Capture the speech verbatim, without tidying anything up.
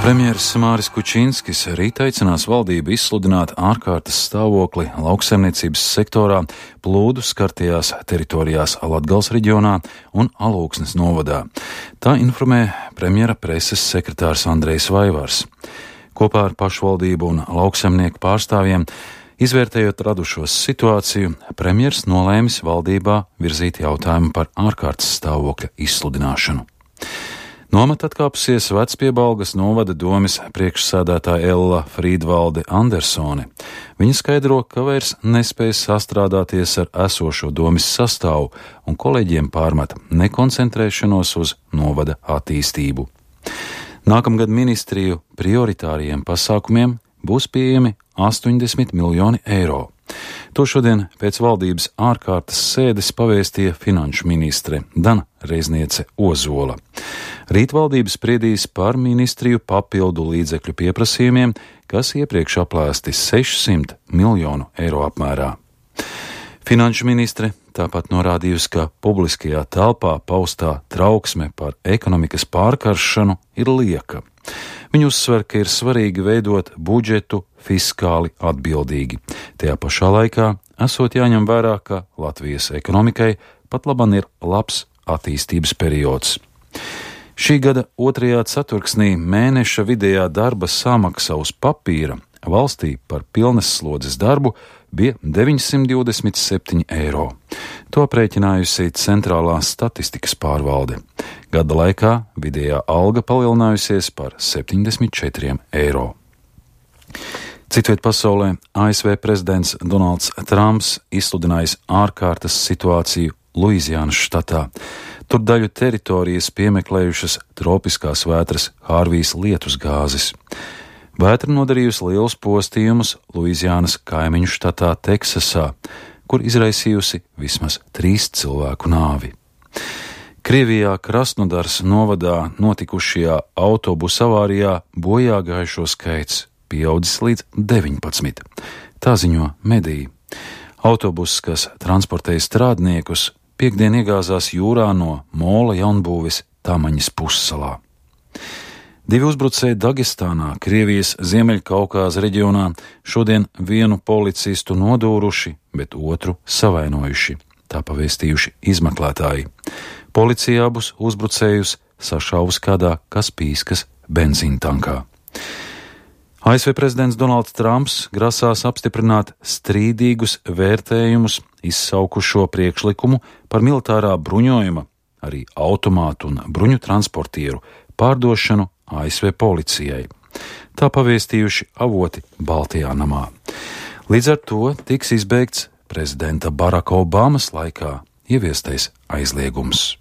Premjeras Māris Kučinskis rīt aicinās valdību izsludināt ārkārtas stāvokli lauksaimniecības sektorā plūdu skartajās teritorijās Latgales reģionā un Alūksnes novadā. Tā informē premjera preses sekretārs Andrejs Vaivars. Kopā ar pašvaldību un lauksaimnieku pārstāvjiem, izvērtējot radušos situāciju, premjers nolēmis valdībā virzīt jautājumu par ārkārtas stāvokļa izsludināšanu. Nomet atkāpusies Vecpiebalgas novada domes priekšsēdētāja Ella Frīdvalde Andersone. Viņa skaidro, ka vairs nespēj sastrādāties ar esošo domes sastāvu un kolēģiem pārmet nekoncentrēšanos uz novada attīstību. Nākamgad ministriju prioritāriem pasākumiem būs pieejami astoņdesmit miljoni eiro. To šodien pēc valdības ārkārtas sēdes pavēstīja finanšu ministre Dana Reizniece Ozola. Rīt valdība spriedīs par ministriju papildu līdzekļu pieprasījumiem, kas iepriekš aplēsti sešsimt miljonu eiro apmērā. Finanšu ministre tāpat norādījusi, ka publiskajā telpā paustā trauksme par ekonomikas pārkaršanu ir lieka. Viņa uzsver, ka ir svarīgi veidot budžetu fiskāli atbildīgi. Tajā pašā laikā esot jāņem vērā, ka Latvijas ekonomikai pat laban ir labs attīstības periods. Šī gada otrajā ceturksnī mēneša vidējā darba samaksa uz papīra valstī par pilnas slodzes darbu bija deviņsimt divdesmit septiņi eiro. To aprēķinājusi Centrālā statistikas pārvalde. Gada laikā vidējā alga palielinājusies par septiņdesmit četriem eiro. Citviet pasaulē A S V prezidents Donalds Trumps izsludinājis ārkārtas situāciju Luizijānas štatā. Tur daļu teritorijas piemeklējušas tropiskās vētras Hārvijas lietusgāzes. Vētra nodarījusi lielus postījumus Luizijānas kaimiņu štatā Teksasā, kur izraisījusi vismaz trīs cilvēku nāvi. Krievijā Krasnodars novadā notikušajā autobusu avārijā bojā gājušo skaits pieaudzis līdz deviņpadsmit. Tā ziņo mediji. Autobuss, kas transportēja strādniekus, piekdien iegāzās jūrā no mola jaunbūves Tamaņas pussalā. Divi uzbrucēji Dagestānā, Krievijas Ziemeļkaukāza reģionā, šodien vienu policistu nodūruši, bet otru savainojuši. Tā pavēstījuši izmeklētāji. Policija abus uzbrucējus sašāvus kādā Kaspijskas benzīntankā. A S V prezidents Donalds Trumps grasās apstiprināt strīdīgus vērtējumus izsaukušo priekšlikumu par militārā bruņojuma, arī automātu un bruņu transportieru pārdošanu A S V policijai. Tā pavēstījuši avoti Baltijā namā. Līdz ar to tiks izbeigts prezidenta Baraka Obamas laikā ieviestais aizliegums.